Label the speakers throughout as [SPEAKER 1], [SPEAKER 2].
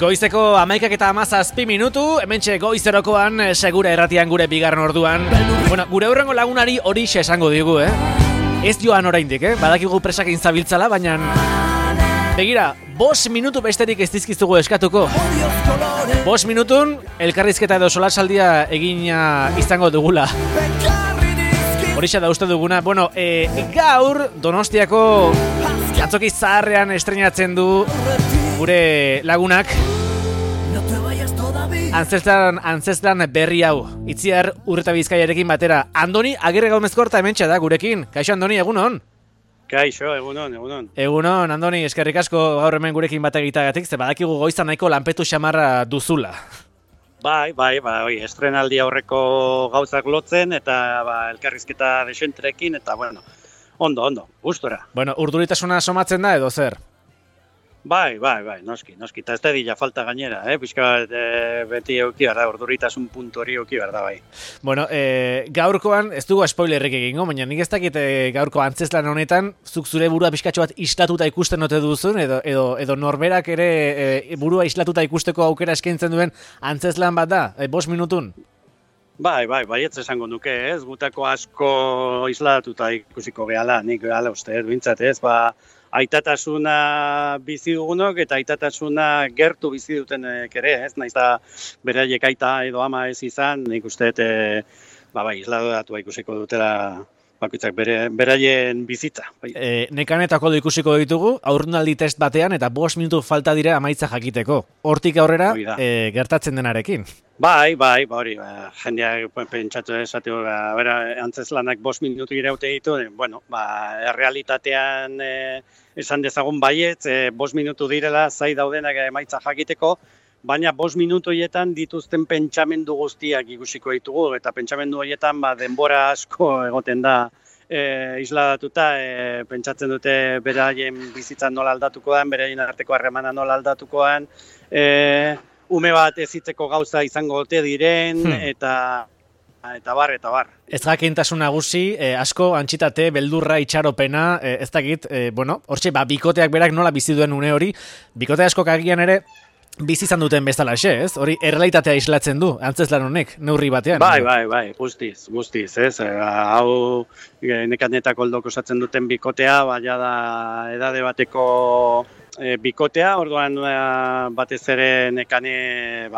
[SPEAKER 1] Goizeko 11:17 minutu, hementxe goizerokoan segura erratian gure bigarren orduan. Bueno, gure hurrengo lagunari hori esango digu, Ez joan oraindik, Badakigu presakin zabiltzala, baina begira, 5 minutu besterik ez dizkizugu eskatuko. 5 minutun elkarrizketa edo solasaldia egina izango dugula. Horixa da uste duguna. Bueno, gaur Donostiako antzoki zaharrean estreinatzen du gure lagunak antzeslan berri hau. Itziar Urreta Bizkaiarekin batera. Andoni Agirre Gaumezkorta hementxe da gurekin. Kaixo Andoni, egunon?
[SPEAKER 2] Kaixo, egunon.
[SPEAKER 1] Egunon, Andoni, eskerrik asko gaur hemen gurekin bat egitagatik, ze badakigu goizan nahiko lanpetu xamarra duzula.
[SPEAKER 2] Bai, estrenaldi aurreko gauzak lotzen eta elkarrizketa desentrekin eta ondo, gustora.
[SPEAKER 1] Bueno, urduritasuna somatzen da edo zer?
[SPEAKER 2] Bai, noski, eta ez da dila falta gainera, pixka beti euki behar da, urduritasun puntu hori euki behar da, bai.
[SPEAKER 1] Bueno, gaurkoan, ez dugu spoilerrik egingo, baina nik ez dakit gaurko antzeslan honetan, zuk zure burua pixkatxo bat islatuta ikusten ote duzun, edo norberak ere burua islatuta ikusteko aukera eskaintzen duen antzeslan bat da, 5 minutun?
[SPEAKER 2] Bai, ez esango nuke, ez, gutako asko islatuta ikusiko gehala, nik gehala uste, bintzat, ez, aitatasuna bizi dugunok eta aitatasuna gertu bizi dutenek ere, ez? Naiz da beraiek aita edo ama ez izan, nik uste islatu ikusiko dutela bakoitzak beraien bizitza.
[SPEAKER 1] Nekanetako ikusiko ditugu, aurrunaldi test batean eta 5 minutu falta dira amaitza jakiteko. Hortik aurrera gertatzen denarekin.
[SPEAKER 2] Bai, hori, jendeak pentsatu esateko, antzeslanak 5 minutu iraute ditu, errealitatean esan dezagun baietz, 5 minutu direla zai daudenak emaitza jakiteko, baina 5 minutu horietan dituzten pentsamendu guztiak ikusiko ditugu, eta pentsamendu horietan denbora asko egoten da isladatuta, pentsatzen dute beraien bizitzan nola aldatukoan, beraien arteko harremana nola aldatukoan, ume bat ezitzeko gauza izango ote diren, eta bar.
[SPEAKER 1] Ez jakintasun nagusi, asko antxitate, beldurra, itxaropena, ez dakit, hortxe, bikoteak berak nola bizi duen une hori, bikote askok agian ere, bizi izan duten bezala, ez? Hori errealitatea islatzen du, antzeslan honek, neurri batean.
[SPEAKER 2] Bai, guztiz, ez? Hau nekanetako oldok osatzen duten bikotea, baina da edade bateko bikotea, orduan batez ere nekane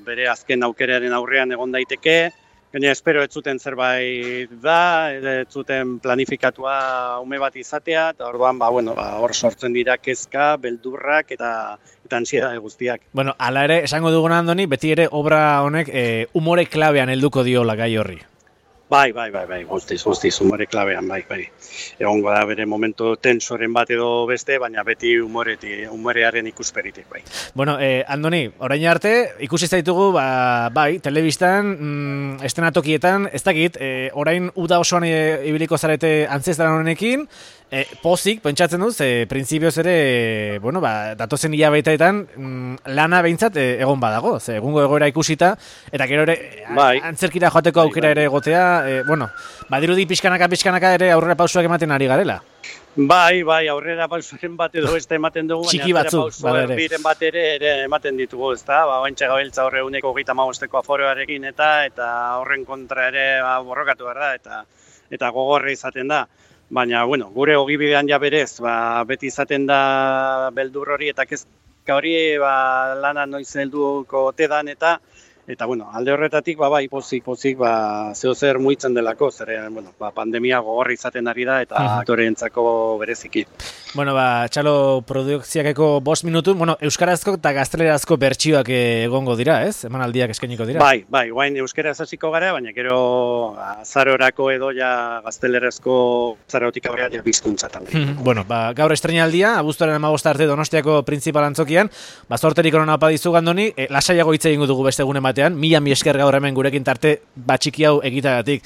[SPEAKER 2] bere azken aukeraren aurrean egon daiteke, gaina espero ez zuten zerbait da, ez zuten planifikatua ume bat izatea, eta orduan hor sortzen dira kezka, beldurrak eta ansiedade guztiak.
[SPEAKER 1] Bueno, hala ere, esango dugun Andoni, beti ere obra honek umore klabean helduko diola gai horri.
[SPEAKER 2] Bai, guztiz, umore klabean, bai. Egongo da bere momentu tensoren bat edo beste, baina beti umorearen ikusperitik, bai.
[SPEAKER 1] Bueno, Andoni, orain arte, ikusi zaitugu, telebistan, estenatokietan, ez dakit, orain uda osoan ibiliko zarete antzeslan honekin, pozik, pentsatzen duz, printzipioz ere, datozen hilabeteetan lana behintzat egon badago, egungo egoera ikusita, eta gero ere antzerkira joateko aukera ere egotea, badirudi pixkanaka ere aurrera pausuak ematen ari garela.
[SPEAKER 2] Bai, aurrera pausuaren bat edo beste ematen dugu,
[SPEAKER 1] txiki batzuk,
[SPEAKER 2] biren bat ere ematen ditugu, ezta? Baintxe gabiltza horre 125 aforoarekin eta horren kontra ere borrokatu behar da, eta gogorra izaten da. Baina, gure ogibidean ja berez, beti izaten da beldur hori eta kezka hori lana noiz helduko ote dan eta alde horretatik, pozik, zeo zer muitzen delako, pandemia gogorra izaten ari da eta aktoreentzako bereziki.
[SPEAKER 1] Txalo produkziakeko 5 minutu, euskarazko eta gaztelerazko bertsioak egongo dira, ez? Emanaldiak eskainiko dira?
[SPEAKER 2] Bai, guain euskaraz hasiko gara, baina gero azarorako edo ja gaztelerazko zarotik aurrea ja bizkuntzatan.
[SPEAKER 1] Gaur estreinaldia, abuztuaren 15 arte Donostiako printzipal antzokian, zorterik onan apadizu Andoni, lasaiago hitz egingo dugu beste egunen batean, mila esker gaur hemen gurekin tarte batxiki hau egitagatik.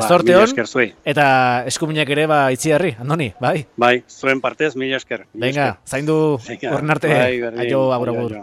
[SPEAKER 1] Zorte hon, eta eskuminak ere itziarri, Andoni, bai?
[SPEAKER 2] Bai, zuen partez, mila esker.
[SPEAKER 1] Venga, zaindu horren arte, aio, agur.